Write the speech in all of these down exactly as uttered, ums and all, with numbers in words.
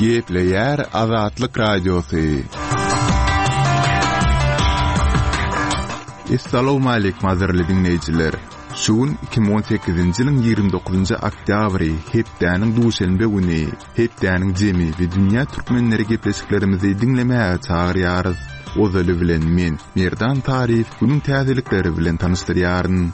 Gepleýär Azatlyk Radiosy. Essalawmaleýkim gadyrly diňleýjiler! Şu gün iki müň on sekizinji ýylyň ýigrimi dokuzynjy oktýabry, hepdäniň duşenbe güni, hepdäniň jemi we dünýä türkmenleri gepleşiklerimizi diňlemäge çagyrýarys. Ozaly bilen men, Merdan Taryýew günüň täzelikleri bilen tanyşdyrýaryn.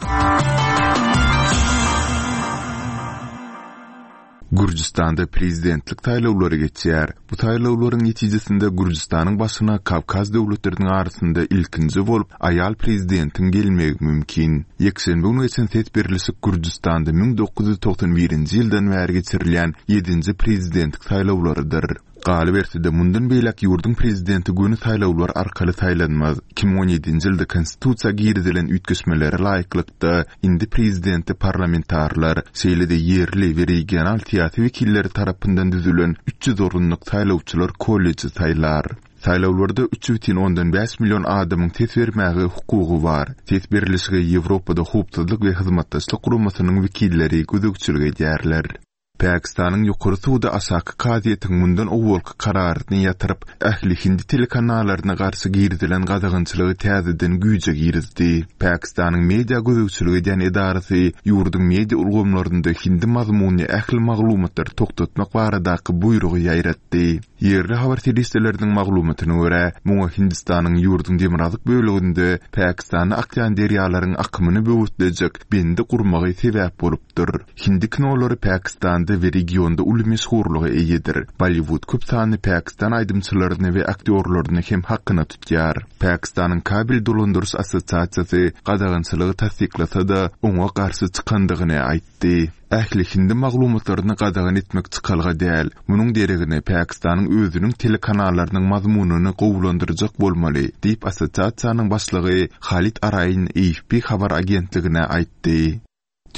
Gürjüstanda prezidentlik saýlawlary geçýär. Bu saýlawlaryň netijesinde Gürjüstanyň başyna Kawkaz döwletleriniň arasynda ilkinji bolup aýal prezidentiň gelmegi mümkin. Ýekşenbe güni geçen ses berlişik Gürjüstanda müň dokuz ýüz togsan birinji ýyldan bäri geçirilýän ýedinji prezidentlik saýlawlarydyr. Galyberse-de, mundan beýläk ýurduň prezidenti göni saýlawlar arkaly saýlanmaz. Iki müň on ýedinji ýylda konstitusiýa girizilen üýtgeşmelere laýyklykda, indi prezidenti parlamentarlar, şeýle-de ýerli we regional syýasy wekilleri tarapyndan düzülen üç ýüz orunlyk saýlawçylar kolleji saýlar. Saýlawlarda üç bütin ondan bäş million adamyň ses bermäge hukugy bar. Ses berlişige Ýewropada Howpsuzlyk we Hyzmatdaşlyk Guramasynyň wekilleri gözegçilik edýärler. Pakistanyň ýokary sudy aşaky kazyýetiň mundan owalky kararyny ýatyryp, ähli hindi telekanalaryna garşy girizilen gadagançylygy täzeden güýje girizdi. Pakistanyň media gözegçilik edýän edarasy ýurduň media ulgamlarynda hindi mazmunly ähli maglumatlary togtatmak baradaky buýrugy ýaýratdy. Ýerli habar serişdeleriniň maglumatyna görä, muňa Hindistanyň ýurduň demirgazyk böleginde Pakistana akýan derýalaryň akymyny böwütlejek bendi gurmagy sebäp bolupdyr. Hindi kinolary Pakistanda we regionda uly meşhurlyga eýedir. Bollywood köp sanly Pakistan aýdymçylaryny we aktýorlaryny hem hakyna tutýar. Pakistanyň kabel dolandyryş assosiasiýasy gadagançylygy tassyklasa-da, oňa garşy çykandygyny aýtdy. Ähli hindi maglumatlaryny gadagan etmek çykalga däl. Munuň deregine Pakistanyň özüniň telekanallarynyň mazmunyny gowulandyrjak bolmaly, diýip assosiasiýanyň başlygy Halid Araýyn A F P habar agentligine aýtdy.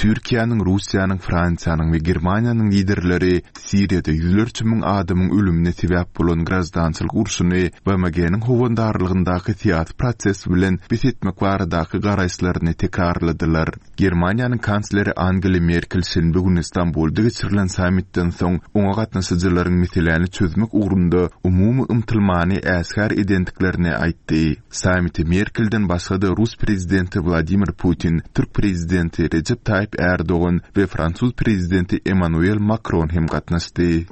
Türkiýäniň, Russiýanyň, Fransiýanyň we Germaniýanyň liderleri Siriýada ýüzlerçe müň adamyň ölümine sebäp bolan graždançylyk urşuny B M G-niň howandarlygyndaky syýasy proses bilen bes etmek baradaky garaýyşlaryny tekrarladylar. Germaniýanyň kansleri Angela Merkel şenbe güni Stambulda geçirilen sammitden soň oňa gatnaşyjylaryň meseläni çözmek ugrunda umumy ymtylmany äşgär edendiklerini aýtdy. Sammite Merkelden başga-da Rus prezidenti Wladimir Putin, Türk prezidenti Recep Tayyip Erdogan we Fransuz prezidenti Emmanuel Macron hem gatnaşdy.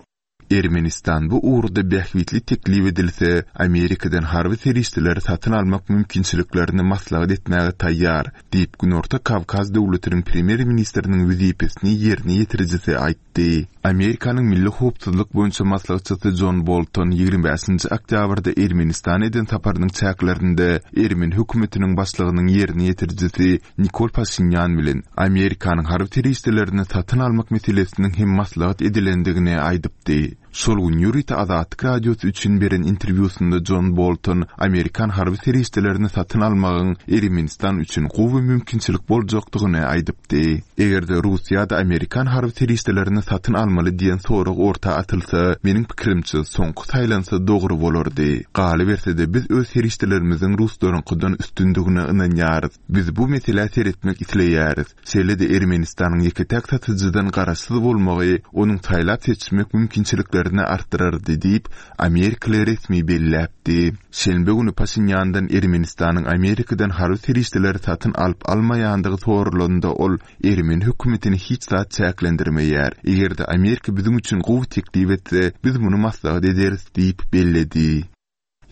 Ermenistan bu ugurda bähbitli teklip edilse, Amerikadan harby serişdeleri satyn almak mümkinçiliklerini maslahat etmäge taýýar, diýip Günorta Kawkaz döwletiniň premýer-ministriniň wezipesini ýerine ýetirijisi aýtdy. Amerikanyň Milli Howpsuzlyk boýunça maslahatçysy John Bolton ýigrimi bäşinji oktýabrda Ermenistana eden saparynyň çäklerinde Ermeni hökümetiniň başlygynyň ýerine ýetirijisi Nikol Paşinyan bilen Amerikanyň harby serişdelerini satyn almak meselesiniň hem maslahat edilendigini aýdypdy. Şol gün ýörite Azatlyk Radiosy üçin beren interwýusynda John Bolton Amerikan harby serişdelerini satyn almagyň Ermenistan üçin gowy mümkinçilik boljakdygyny aýdypdy. Eger-de Russiýada Amerikan harby serişdelerini satyn almaly diýen sorag orta atylsa, meniň pikirimçe soňky saýlansa dogry bolardy. Galyberse-de biz öz serişdelerimiziň ruslaryňkydan üstündigine ynanýarys. Biz bu meselä seretmek isleýäris. Şeýle-de Ermenistanyň ýeke-täk satyjydan garaşsyz bolmagy onuň saýlap seçmek mümkinçiliklerini artdyrardy diýip, Amerikaly resmi belläpdi. Şenbe güni Paşinyandan Ermenistanyň Amerikadan harby serişdeleri satyn alyp almaýandygy sorulanda ol Ermeni hökümetini hiç zat çäklendirmeýär. Eger-de Amerika biziň üçin gowy teklip etse, biz muny maslahat ederis diýip belledi.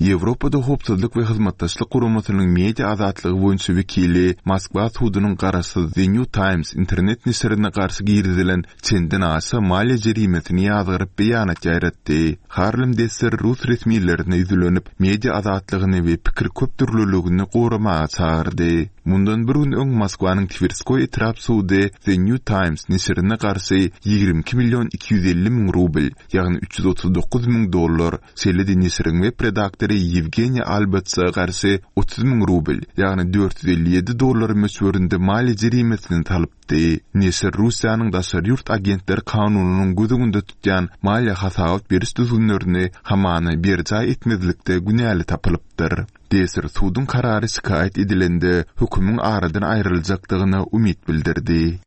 Ýewropada Howpsuzlyk we Hyzmatdaşlyk Guramasynyň media azatlygy boýunça wekili Moskwa sudunyň garaşsyz The New Times internet neşirine garşy girizilen çenden aşa maliýe jerimesini ýazgyryp beýanat ýaýratdy. Harlem Desser rus resmilerine ýüzlenip, media azatlygyny we pikir köpdürlüligini goramaga çagyrdy. Mundan bir gün öň Moskwanyň Twerskoý etrap sudy The New Times neşirine garşy ýigrimi iki million iki ýüz elli müň rubl, ýagny üç ýüz otuz dokuz müň dollar, şeýle-de neşiriň web redaktory Ýewgeniý Albatsa garşy otuz müň rubl, ýagny dört ýüz elli ýedi dollar möçberinde maliýe jerimesini salypdy. Neşir Russiýanyň daşary ýurt agentleri kanunynyň göz öňünde tutýan maliýe hasabat beriş düzgünlerini hamana berjaý etmezlikde günäli tapylypdyr. Desir suduň karary şikaýat edilende hökümiň aradan aýryljakdygyna umyt bildirdi.